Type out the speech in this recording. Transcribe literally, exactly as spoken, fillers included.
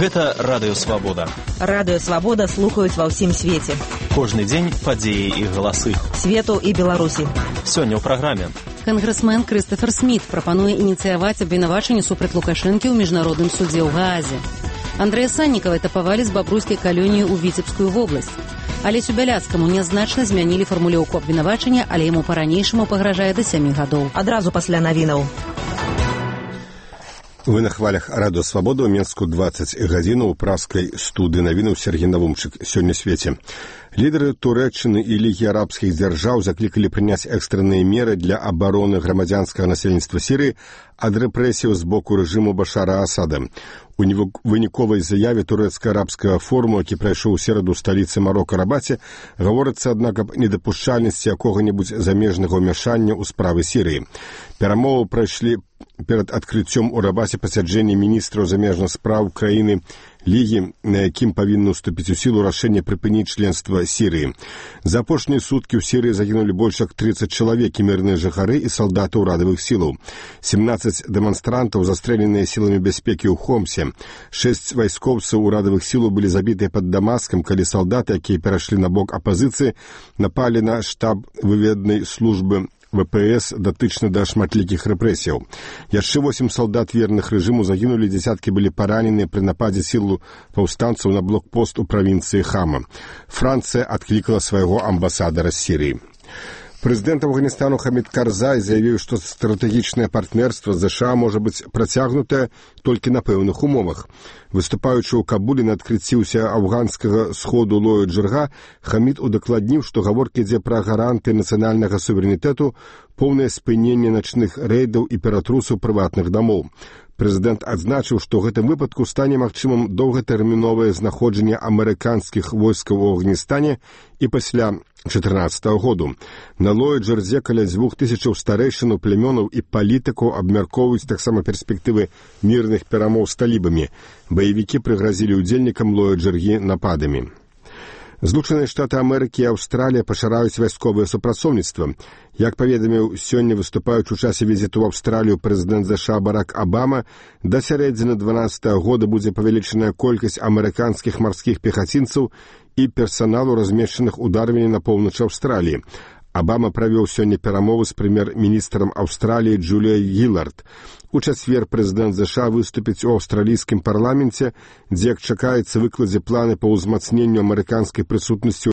Гэта Радыё Свабода. Радыё Свабода слухаюць ва ўсім свеце. Кожны дзень падзеі і галасы. Свету і Беларусі. Сёння ў праграме. Кангрэсмен Крыстафер Сміт прапануе ініцыяваць абвінавачанне супраць Лукашэнкі ў міжнародным судзе ў Гаазе. Андрэя Саннікава этапавалі з бабруйскай калоніі ў Віцебскую вобласць. Алесю Бяляцкаму нязначна змянілі фармулёўку абвінавачання, але яму па-ранейшаму пагражае да сямі гадоў. Адразу пасля навінаў. Вы на хвалях Радыё Свабода ў Менску дваццаць гадзін у праскай студыі навінаў Сергей Навумчык. Сёння свеце. Лідары Турэччыны і Лігі арабскіх дзяржаў заклікалі прыняць экстранныя меры для абароны грамадзянскага насельніцтва Сірыі ад рэпрэсіяў з боку рэжыму Башара Асада. У выніковай заяве турэцка-арабскага форуму, які прайшоў у сераду ў сталіцы Марока Рабаце, гаворыцца, аднак, аб недапушчальнасці якога-небудзь замежнага ўмяшання ў справы Сірыі. Перамовы прайшлі перад адкрыццём у Рабаце пасяджэння міністраў замежных спраў краіны Лігі, на якім павінна ўступіць у сілу рашэнне прыпыніць членства Сірыі. За апошнія суткі ў Сірыі загінулі больш як трыццаць чалавек, і мірныя жыхары і салдаты ўрадавых сілаў. сямнаццаць дэманстрантаў застрэленыя сіламі бяспекі ў Хомсе. Шэсць вайскоўцаў урадавых сілаў былі забітыя пад Дамаскам, калі салдаты, якія перайшлі на бок апазіцыі, напалі на штаб выведнай службы вэ пэ эс датычна да шматлікіх рэпрэсіяў. Яшчэ восем салдат верных рэжыму загінулі, дзясяткі былі параненыя пры нападзе сілу паўстанцаў на блокпост у правінцыі Хама. Францыя адклікала свайго амбасадара з Сірыі. Прэзідэнт Афганістану Хамід Карзай заявіў, што стратэгічнае партнерства з ЗША можа быць працягнутае толькі на пэўных умовах. Выступаючы ў Кабуле на адкрыцці афганскага сходу Лою Джырга, Хамід удакладніў, што гаворка ідзе пра гаранты нацыянальнага суверэнітэту, поўнае спыненне начных рэйдаў і ператрусаў прыватных дамоў. Прэзідэнт адзначыў, што ў гэтым выпадку стане магчымым доўгатэрміновае знаходжанне амерыканскіх войскаў у Афганістане і пасля чатырнаццатага году. На Лоі Джырзе каля дзвюх тысячаў старэйшынаў, племёнаў і палітыкаў абмяркоўваюць таксама перспектывы мірных перамоў з талібамі. Баевікі прыгразілі ўдзельнікам Лоі Джыргі нападамі. Злучаныя Штаты Амерыкі і Аўстралія пашыраюць вайсковае супрацоўніцтва. Як паведаміў сёння, выступаючы ў часе візіту ў Аўстралію прэзідэнт ЗША Барак Абама, да сярэдзіны дванаццатага года будзе павелічаная колькасць амерыканскіх марскіх пехацінцаў і персаналу, размешчаных у Дарвіне на поўначы Аўстраліі. Абама правёў сёння перамовы з прэм'ер-міністрам Аўстраліі Джуліяй Гілард. У чацвер прэзідэнт ЗША выступіць у аўстралійскім парламенце, дзе, як чакаецца, выкладзе планы па ўзмацненню амерыканскай прысутнасці